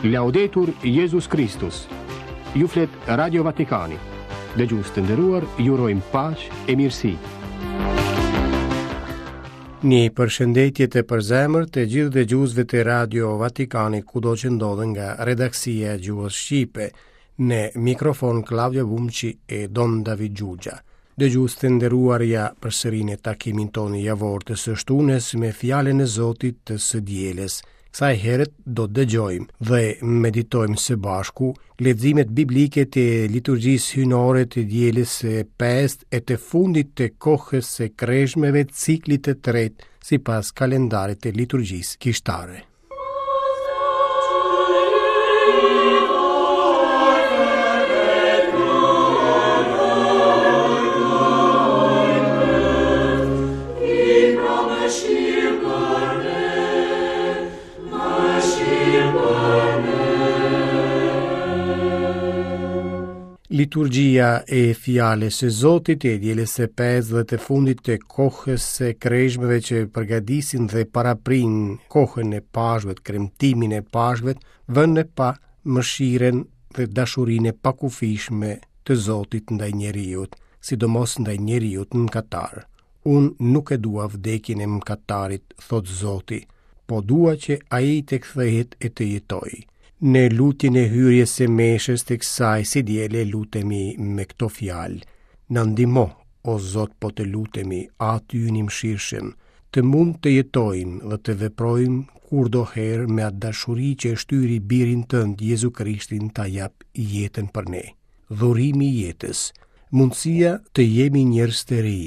Laudetur Jezus Kristus. Ju flet Radio Vatikani. Dëgjues të nderuar, ju urojmë paqe e mirësi. Një përshëndetje të përzemërt të gjithë dëgjuesve të Radio Vatikanit kudo që ndodhen nga redaksia e gjuhës shqipe. Në mikrofon Klaudio Bumçi e Don David Xhuxha. Dëgjues të nderuar ja përsëri në takimin tonë javor të së shtunës me fjalën e Zotit të së dielës. Kësaj here do të dëgjojmë dhe meditojmë së bashku leximet biblike të liturgjisë hyjnore të dielës së pestë e të fundit të kohës së kreshmeve ciklit të tretë sipas kalendarit të liturgjisë kishtare. Liturgjia e fjalës së Zotit e dielës së pestë dhe të fundit të kohës së kreshmeve që përgatisin dhe paraprijnë kohën e Pashkëve, kremtimin e Pashkëve, vë në pah mëshirën dhe dashurinë e pakufishme të Zotit ndaj njeriut, sidomos ndaj njeriut mëkatar. Unë nuk e dua vdekjen e mëkatarit, thotë Zoti, po dua që ai të kthehet e të jetojë. Në lutjen e hyrjes së meshës të kësaj së diele lutemi me këto fjalë. Na ndihmo, o Zot po të lutemi, Ati ynë i mëshirshëm, të mund të jetojmë dhe të veprojmë kurdoherë me atë dashuri që e shtyri birin tënd Jezu Krishtin ta japë jetën për ne. Dhurimi i jetës, mundësia të jemi njerëz të ri,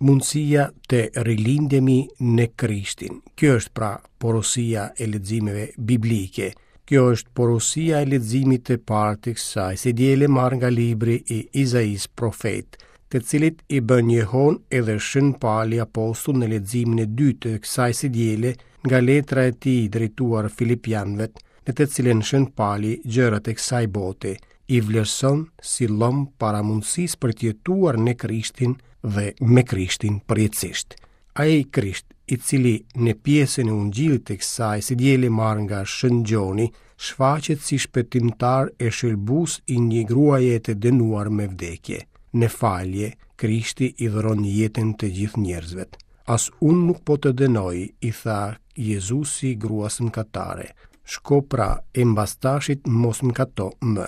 mundësia të rilindemi në Krishtin. Kjo është pra porosia e leximeve biblike. Kjo është porosia e leximit të parë të kësaj së diele marrë nga libri i Izaisë profet, të cilit i bën jehonë edhe Shën Pali apostull në leximin e dytë të kësaj së diele nga letra e tij drejtuar Filipianëve, në të cilën Shën Pali gjërat e kësaj bote i vlerëson si llom para mundësisë për të jetuar në Krishtin dhe me Krishtin përjetësisht. Ai Krisht, i cili në pjesën e Ungjillit të kësaj së diele marrë nga Shën Gjoni, shfaqet si shpëtimtar e shëlbues i një gruaje të dënuar me vdekje. Në falje, Krishti i dhuron jetën të gjithë njerëzve. As unë nuk po të dënoj, i tha Jezusi gruas mëkatare. Shko pra e mbas tashit mos mëkato më.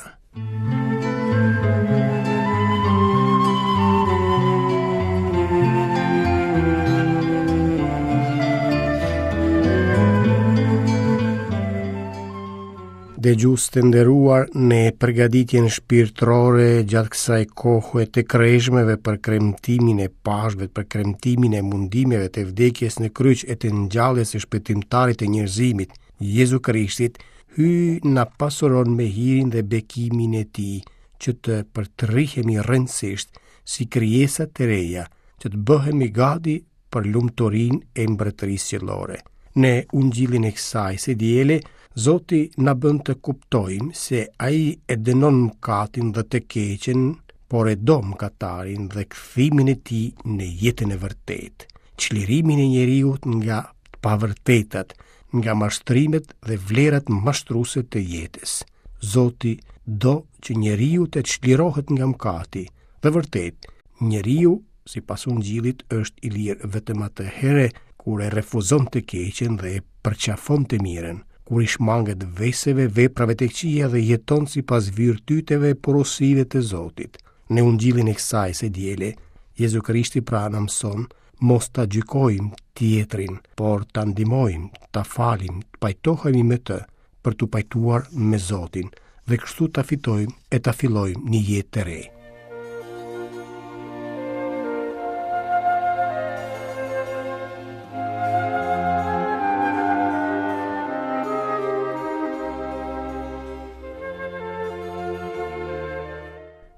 Dëgjues të nderuar në përgatitjen shpirtërore gjatë kësaj kohe të kreshmeve për kremtimin e Pashkëve, për kremtimin e mundimeve të vdekjes në kryq e të ngjalljes së shpëtimtarit të njerëzimit, Jezu Krishtit, Hyji na pasuron me hirin dhe bekimin e tij, që të përtrihemi rrënjësisht si krijesa të reja, që të bëhemi gati për lumturinë e mbretërisë qiellore. Në ungjillin e kësaj së diele, Zoti na bën të kuptojmë se ai e dënon mëkatin dhe të keqen, por e do mëkatarin dhe kthimin e tij në jetën e vërtetë, çlirimin e njeriut nga të pavërtetat, nga mashtrimet dhe vlerat mashtruese të jetës. Zoti do që njeriu të çlirohet nga mëkati, dhe vërtet, njeriu, sipas ungjillit, është i lirë vetëm atëherë kur e refuzon të keqen dhe e përqafon të mirën, kur i shmanget veseve, veprave të këqija dhe jeton sipas virtyteve e porosive të Zotit. Në ungjillin e kësaj së diele, Jezu Krishti pra na mëson mos ta gjykojmë tjetrin, por ta ndihmojmë, ta falim, të pajtohemi me të, për t'u pajtuar me Zotin, dhe kështu ta fitojmë e ta fillojmë një jetë të re.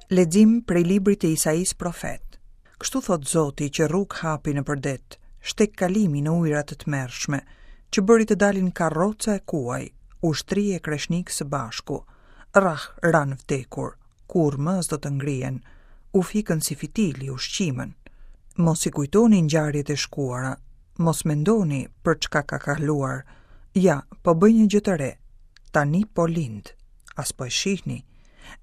Lexim prej librit të Isaisë profet. Kështu thotë Zoti që rrugë hapi nëpër det, shteg kalimi në ujëra të tmerrshme, që bëri të dalin karroca e kuaj, ushtri e kreshnikë së bashku. Rrah ranë vdekur, kurrë më s'do të ngrihen, u fikën si fitili, u shqimën. Mos i kujtoni ngjarjet e shkuara, mos mendoni për çka ka kaluar. Ja, po bëj një gjë të re. Tani po lind. A s'po e shihni?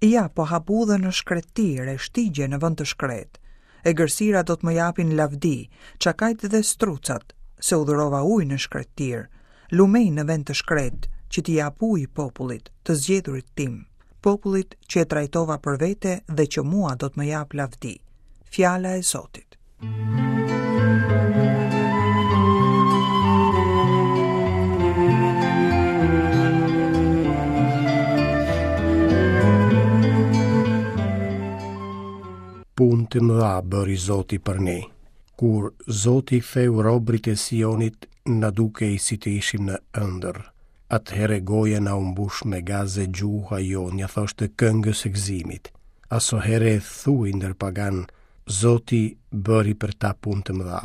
Ja, po hap udhën në shkretëtirë e shtigje në vend të shkretë. Egërsira do të më japin lavdi, çakajt dhe strucat, se udhërova ujë në shkretëtirë, lumenj në vend të shkretë, që t'i jap ujë popullit, të zgjedhurit tim, popullit që e trajtova për vete dhe që mua do të më japë lavdi. Fjala e Zotit. Punë të mëdha bëri Zoti për ne. Kur Zoti ktheu robërit e Sionit, na dukej si të ishim në ëndërr. Atëherë goja na u mbush me gaz e gjuha jonë ia thoshte këngës së gëzimit. Asohere thuhej ndër paganë, Zoti bëri për ta punë të mëdha.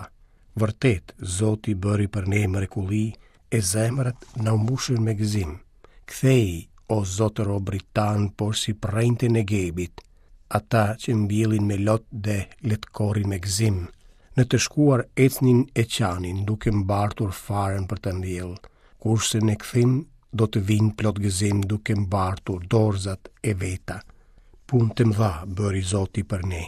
Vërtet, Zoti bëri për ne mrekulli, e zemrat na u mbushën me gëzim. Ktheji, o Zot robërit tanë, porsi përrenjtë e Negebit, ata që mbjellin me lot dhe le të korrin me gëzim. Në të shkuar ecnin e qanin, duke mbartur farën për të mbjellë, kurse në kthim do të vijnë plot gëzim duke mbartur dorëzat e veta. Punë të mëdha bëri Zoti për ne.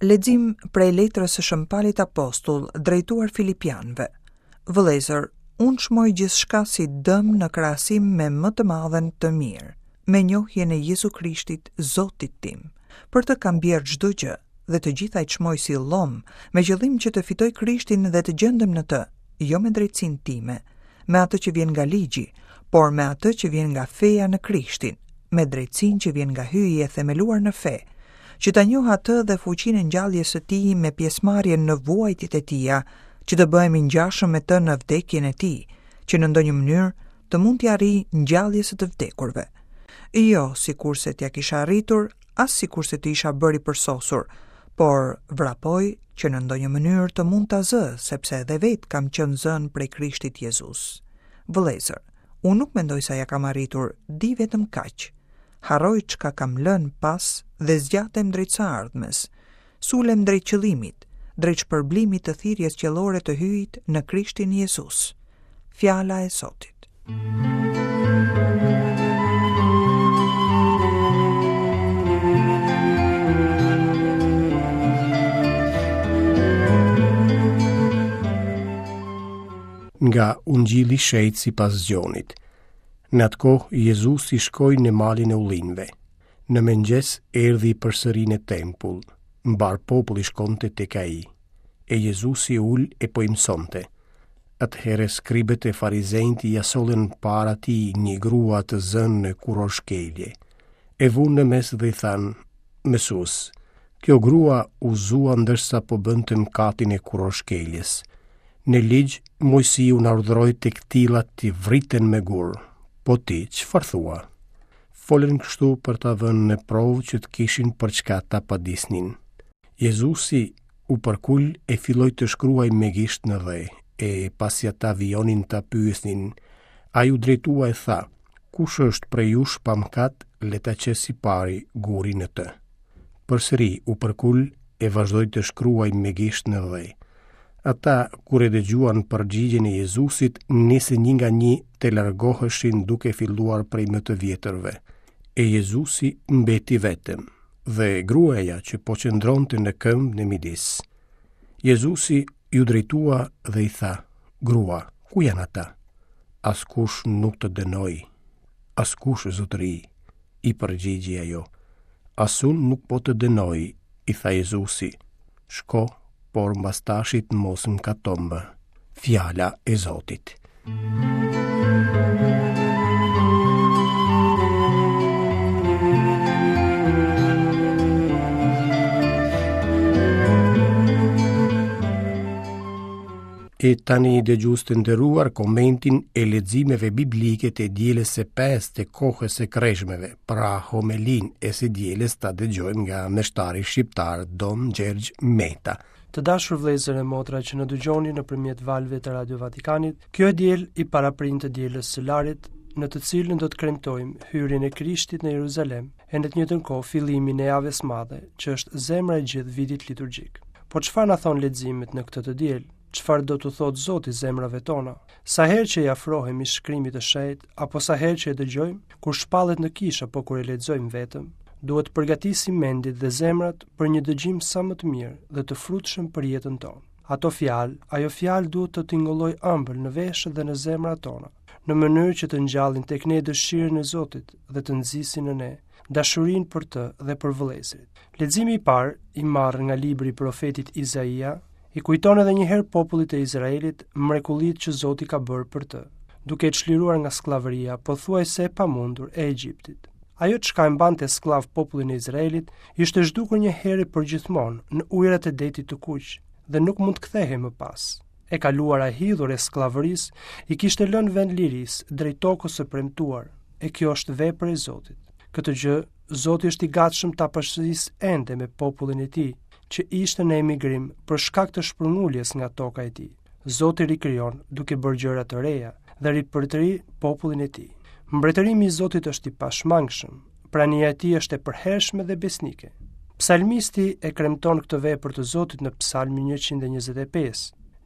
Lexim prej letrës së Shën Palit Apostull drejtuar Filipianëve. Vëllezër, unë çmoj gjithçka si dëm në krahasim me më të madhen të mirë, me njohjen e Jezu Krishtit, Zotit tim. Për të kam bjerrë çdo gjë dhe të gjitha i çmoj si llom, me qëllim që të fitoj Krishtin dhe të gjendem në të, jo me drejtësinë time, me atë që vjen nga ligji, por me atë që vjen nga feja në Krishtin, me drejtësinë që vjen nga Hyji e themeluar në fe, që ta njoh atë dhe fuqinë e ngjalljes së tij me pjesëmarrjen në vuajtjet e tija, që të bëhem i ngjashëm me të në vdekjen e tij, që në ndonjë mënyrë të mund t'ia arrij ngjalljes së të vdekurve. Jo, sikurse t'ia kisha arritur, as sikurse të isha bërë i përsosur, por vrapoj që në ndonjë mënyrë të mund ta zë, sepse edhe vetë kam qenë zënë prej Krishtit Jezus. Vëllezër, unë nuk mendoj se ia kam arritur, di vetëm kaq. Harroj çka kam lënë pas dhe zgjatem drejt së ardhmes. Sulem drejt qëllimit, drejt shpërblimit të thirrjes qiellore të Hyjit në Krishtin Jezus. Fjala e Zotit. Nga Ungjilli i Shenjtë sipas Gjonit. Në atë kohë Jezusi shkoi në malin e ullinjve. Në mëngjes erdhi përsëri në tempull. Mbarë populli shkonte tek ai. E Jezusi u ul e po i mësonte. Atëherë skribët e farizenjtë ia sollën para tij një grua të zënë në kurorëshkelje. E vunë në mes dhe i thanë, Mësues, kjo grua u zua ndërsa po bënte mëkatin e kurorëshkeljes. Në ligj, Moisiu na urdhëroi të këtillat të vriten me gurë. Po ti, çfarë thua? Folën kështu për ta vënë në provë që të kishin për çka ta padisnin. Jezusi u përkul e filloi të shkruajë me gisht në dhe, e pasi ata vijonin ta pyesnin, ai u drejtua e tha, kush është prej jush pa mëkat, le ta qesë i pari gurin në të. Përsëri u përkul e vazhdoi të shkruajë me gisht në dhe. Ata, kur e dëgjuan përgjigjen e Jezusit, nisën një nga një të largoheshin duke filluar prej më të vjetërve. E Jezusi mbeti vetëm, dhe gruaja që po qëndronte në këmbë në midis. Jezusi iu drejtua dhe i tha, Grua, ku janë ata? Askush nuk të dënoi. Askush, zotëri, i përgjigji ajo. As unë nuk po të dënoj, i tha Jezusi. Shko, por mbas tashit mos mëkato më. Fjala e Zotit. E tani dëgjues të nderuar komentin e leximeve biblike të dielës së pestë të kohës së kreshmeve, pra homelinë e së dielës ta dëgjojmë nga meshtari shqiptar Dom Gjergj Meta. Të dashur vëllezër e motra që na dëgjoni nëpërmjet valëve të Radio Vatikanit, kjo e diel i paraprin të dielës së Larit. në të cilën do të kremtojmë hyrjen e Krishtit në Jeruzalem e në të njëjtën kohë fillimin e Javës Madhe, që është zemra e gjithë vitit liturgjik. Po çfarë na thonë leximet në këtë të diel? Çfarë do t'u thotë Zoti zemrave tona? Sa herë që i afrohemi shkrimit të shenjtë apo sa herë që e dëgjojmë, kur shpallet në kishë apo kur e lexojmë vetëm, duhet të përgatisim mendjet dhe zemrat për një dëgjim sa më të mirë dhe të frutshëm për jetën tonë. Ato fjalë, ajo fjalë duhet të tingëllojë ëmbël në veshët dhe në zemrat tona, në mënyrë që të ngjallin tek ne dëshirën e Zotit dhe të nxisin në ne dashurinë për të dhe për vëllezërit. Leximi i parë, i marrë nga libri i profetit Izaia, i kujton edhe një herë popullit të Izraelit mrekullitë që Zoti ka bërë për të, duke e çliruar nga skllavëria pothuajse e pamundur e Egjiptit. Ajo çka e mbante skllav popullin e Izraelit ishte zhdukur një herë e përgjithmonë në ujërat e detit të Kuq dhe nuk mund të kthehej më pas. E kaluara e hidhur e skllavërisë i kishte lënë vend lirisë drejt tokës së premtuar, e kjo është vepër e Zotit. Këtë gjë Zoti është i gatshëm ta përsërisë ende me popullin e tij, që ishte në emigrim për shkak të shpërnguljes nga toka e tij. Zoti rikrijon duke bërë gjëra të reja dhe ripërtëri popullin e tij. Mbretërimi i Zotit është i pashmangshëm, prania e tij është e përhershme dhe besnike. Psalmisti e kremton këtë vepër të Zotit në Psalmin 125.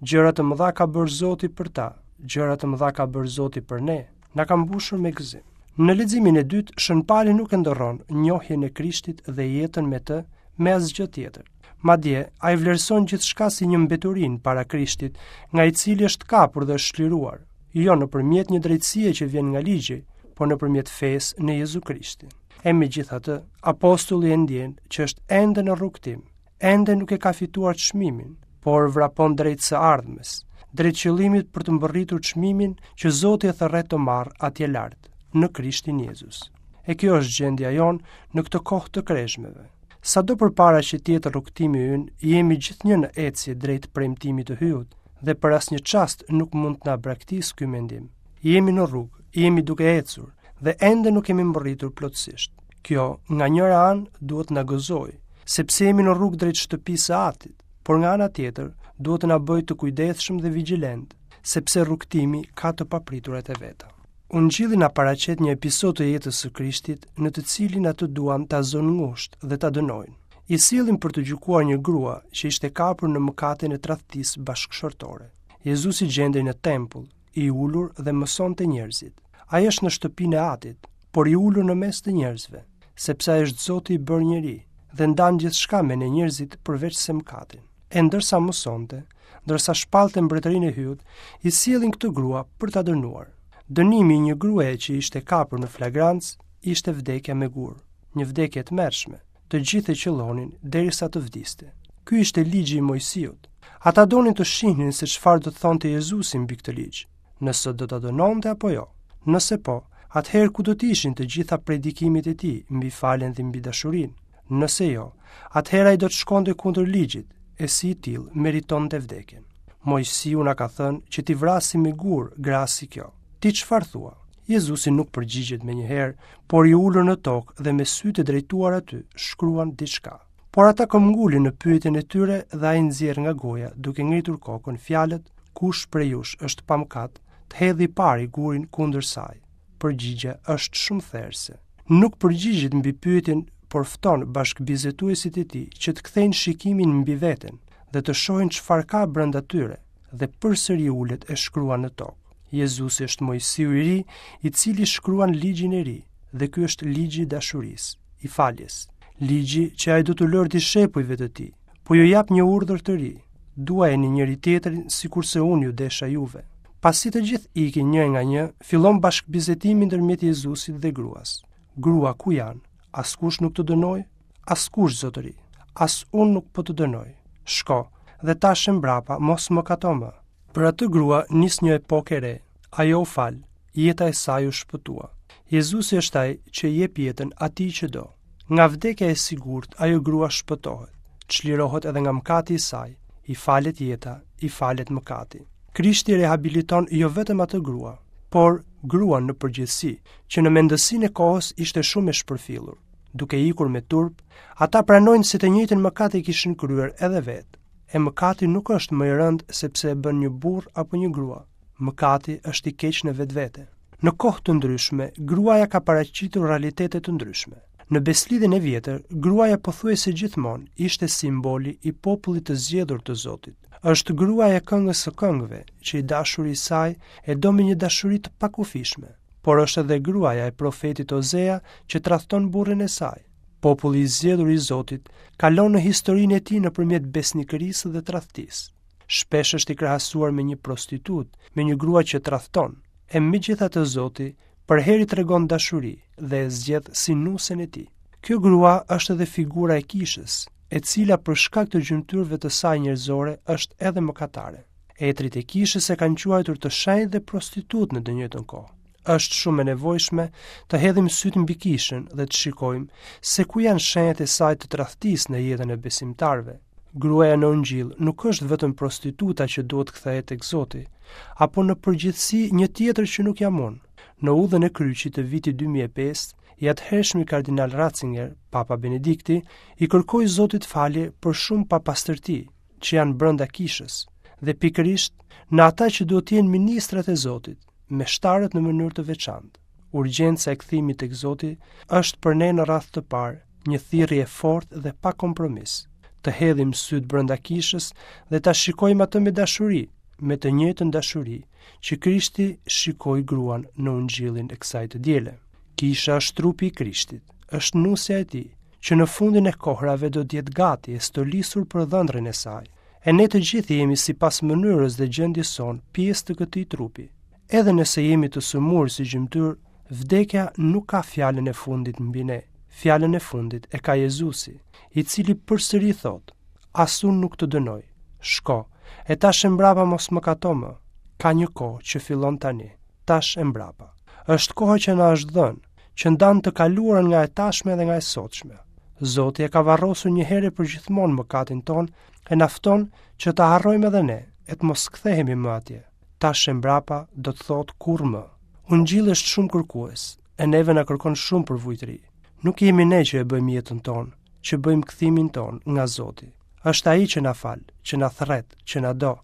Gjëra të mëdha ka bërë Zoti për ta, gjëra të mëdha ka bërë Zoti për ne, na ka mbushur me gëzim. Në leximin e dytë, Shën Pali nuk e ndërron njohjen e Krishtit dhe jetën me të me asgjë tjetër. Madje, ai vlerëson gjithçka si një mbeturinë para Krishtit, nga i cili është kapur dhe është çliruar, jo nëpërmjet një drejtësie që vjen nga ligji, por nëpërmjet fesë në Jezu Krishtin. E megjithatë, apostulli e ndjen që është ende në rrugëtim, ende nuk e ka fituar çmimin, por vrapon drejt së ardhmes, drejt qëllimit për të mbërritur çmimin që Zoti e thërret të marrë atje lart, në Krishtin Jezus. E kjo është gjendja jonë në këtë kohë të kreshmeve. Sado përpara që të jetë rrugëtimi ynë, jemi gjithnjë në ecje drejt premtimit të Hyut dhe për asnjë çast nuk mund të na braktisë ky mendim. Jemi në rrugë, jemi duke ecur dhe ende nuk kemi mbërritur plotësisht. Kjo, nga njëra anë, duhet të na gëzojë, sepse jemi në rrugë drejt shtëpisë së Atit, por nga ana tjetër, duhet të na bëjë të kujdesshëm dhe vigjilentë, sepse rrugëtimi ka të papriturat e veta. Ungjilli na paraqet një episod të jetës së Krishtit në të cilin atë duan ta zënë ngushtë dhe ta dënojnë. I sjellin për të gjykuar një grua që ishte kapur në mëkatin e tradhtisë bashkëshortore. Jezusi gjendej në tempull, i ulur dhe mësonte njerëzit. Ai është në shtëpinë e Atit, por i ulur në mes të njerëzve, sepse ai është Zoti i bërë njeri dhe ndan gjithçka me ne njerëzit përveç se mëkatin. E ndërsa mësonte, ndërsa shpallte mbretërinë e Hyut, i sjellin këtë grua për ta dënuar. Dënimi i një gruaje që ishte kapur në flagrancë ishte vdekja me gur, një vdekje e tmerrshme. Të gjithë e qëllonin derisa të vdiste. Ky ishte ligji i Moisiut. Ata donin të shihnin se çfarë do të thonte Jezusi mbi këtë ligj, nëse do ta dënonte apo jo. Nëse po, atëherë ku do të ishin të gjitha predikimet e tij mbi faljen dhe mbi dashurinë? Nëse jo, atëherë ai do të shkonte kundër ligjit, e si i tillë meritonte vdekjen. Moisiu na ka thënë që t'i vrasim me gurë gra si kjo. Ti çfarë thua? Jezusi nuk përgjigjet menjëherë, por i ulur në tokë dhe me sytë e drejtuar aty, shkruan diçka. Por ata këmbëngulin në pyetjen e tyre dhe ai nxjerr nga goja, duke ngritur kokën fjalët, kush prej jush është pa mëkat, të hedhë i pari gurin kundër saj. Përgjigja është shumë therëse. Nuk përgjigjet mbi pyetjen, por fton bashkëbiseduesit e tij që të kthejnë shikimin mbi veten dhe të shohin çfarë ka brenda tyre dhe përsëri ulet e shkruan në tokë. Jezusi është Moisiu i ri, i cili shkruan ligjin e ri dhe ky është ligji i dashurisë, i faljes. Ligji që ai do t'u lërë dishepujve të tij. Po ju jap një urdhër të ri, duajeni njëri-tjetrin sikurse unë ju desha juve. Pasi të gjithë ikin një nga një, fillon bashkëbisedimi ndërmjet Jezusit dhe gruas. Grua ku janë? Askush nuk të dënoi? Askush, zotëri. As unë nuk po të dënoj. Shko, dhe tash e mbrapa mos mëkato më. Për atë grua nis një epokë e re. Ajo u fal, jeta e saj u shpëtua. Jezusi është ai që i jep jetën atij që do. Nga vdekja e sigurt, ajo grua shpëtohet, çlirohet edhe nga mëkati i saj, i falet jeta, i falet mëkati. Krishti rehabiliton jo vetëm atë grua, por gruan në përgjithësi, që në mendësinë e kohës ishte shumë e shpërfillur. Duke ikur me turp, ata pranojnë se të njëjtin mëkat e kishin kryer edhe vetë. E mëkati nuk është më i rëndë sepse e bën një burrë apo një grua. Mëkati është i keq në vetvete. Në kohë të ndryshme, gruaja ka paraqitur realitete të ndryshme. Në Besëlidhjen e Vjetër, gruaja pothuajse gjithmonë ishte simboli i popullit të zgjedhur të Zotit. Është gruaja e këngës së këngëve, që i dashuri i saj e do me një dashuri të pakufishme, por është edhe gruaja e profetit Ozea që tradhton burrin e saj. Populli i zgjedhur i Zotit kalon në historinë e tij nëpërmjet besnikërisë dhe tradhtisë. Shpesh është i krahasuar me një prostitutë, me një grua që tradhton. E megjithatë Zoti përherë i tregon dashuri dhe e zgjedh si nusen e tij. Kjo grua është edhe figura e kishës, e cila për shkak të gjymtyrëve të saj njerëzore është edhe mëkatare. Etërit e kishës e kanë quajtur të shenjtë dhe prostitutë në të njëjtën kohë. Është shumë e nevojshme të hedhim sytë mbi kishën dhe të shikojmë se ku janë shenjat e saj të tradhtisë në jetën e besimtarëve. Gruaja në Ungjill nuk është vetëm prostituta që duhet të kthehet tek Zoti, apo në përgjithësi një tjetër që nuk jam unë. Në udhën e kryqit të vitit 2005, i atëhershmi kardinal Ratzinger, Papa Benedikti, i kërkoi Zotit falje për shumë papastërti që janë brenda kishës dhe pikërisht në ata që duhet të jenë ministrat e Zotit, meshtarët në mënyrë të veçantë. Urgjenca e kthimit tek Zoti është për ne në radhë të parë një thirrje e fortë dhe pa kompromis. Të hedhim sytë brenda kishës dhe ta shikojmë atë me dashuri, me të njëjtën dashuri që Krishti shikoi gruan në ungjillin e kësaj të diele. Kisha është trupi i Krishtit, është nusja e tij, që në fundin e kohrave do të jetë gati e stolisur për dhëndrin e saj. E ne të gjithë jemi sipas mënyrës dhe gjendjes sonë pjesë të këtij trupi. Edhe nëse jemi të sëmurë si gjymtyrë, vdekja nuk ka fjalën e fundit mbi ne. Fjalën e fundit e ka Jezusi, i cili përsëri thotë: As unë nuk të dënoj. Shko, e tash e mbrapa mos mëkato më. Ka një kohë që fillon tani, tash e mbrapa. Është koha që na është dhënë, që ndan të kaluarën nga e tashme dhe nga e sotshme. Zoti e ka varrosur një herë e përgjithmonë mëkatin tonë e na fton që ta harrojmë edhe ne e të mos kthehemi më atje. Tash e mbrapa do të thotë kurrë më. Ungjilli është shumë kërkues, e neve na kërkon shumë përvujtëri. Nuk jemi ne që e bëjmë jetën tonë, që bëjmë kthimin tonë nga Zoti. Është ai që na fal, që na thërret, që na do.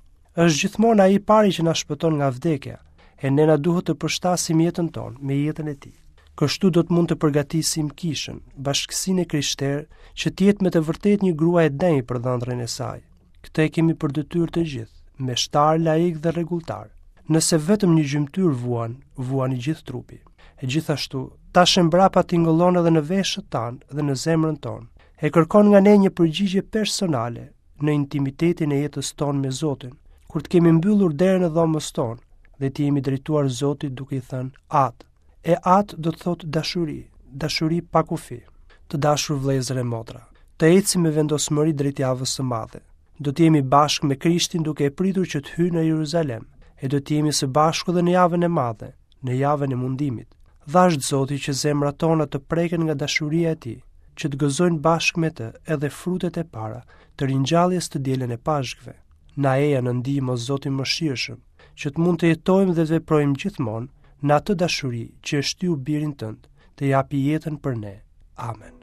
Është gjithmonë ai i pari që na shpëton nga vdekja, e ne na duhet të përshtasim jetën tonë me jetën e tij. Kështu do të mund të përgatisim kishën, bashkësinë e krishterë, që të jetë me të vërtetë një grua e denjë për dhëndrin e saj. Këtë e kemi për detyrë të gjithë, meshtarë, laikë dhe rregulltarë. Nëse vetëm një gjymtyrë vuan, vuan i gjithë trupi. E gjithashtu, tash e mbrapa tingëllon edhe në veshët tanë dhe në zemrën tonë. E kërkon nga ne një përgjigje personale në intimitetin e jetës tonë me Zotin, kur të kemi mbyllur derën e dhomës tonë dhe t'i jemi drejtuar Zotit duke i thënë Atë. E atë do të thotë dashuri, dashuri pa kufi. Të dashur vëllezër e motra, të ecim me vendosmëri drejt javës së madhe. Do të jemi bashkë me Krishtin duke e pritur që të hyjë në Jeruzalem, e do të jemi së bashku dhe në javën e madhe, në javën e mundimit. Dhashtë Zoti që zemrat tona të preken nga dashuria e tij, që të gëzojnë bashkë me të edhe frutet e para të ringjalljes të dielën e Pashkëve. Na eja në ndihmë o Zot i mëshirshëm, që të mund të jetojmë dhe të veprojmë gjithmonë në atë dashuri që e shtyu birin tënd të japi jetën për ne. Amen.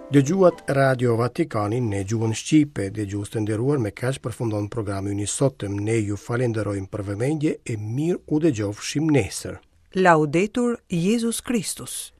Dëgjuat Radio Vatikanin në gjuhën shqipe, dëgjues të nderuar me kaq përfundon programi ynë i sotëm. Ne ju falenderojmë për vëmendje e mirë u dëgjofshim nesër. Laudetur Jezus Kristus.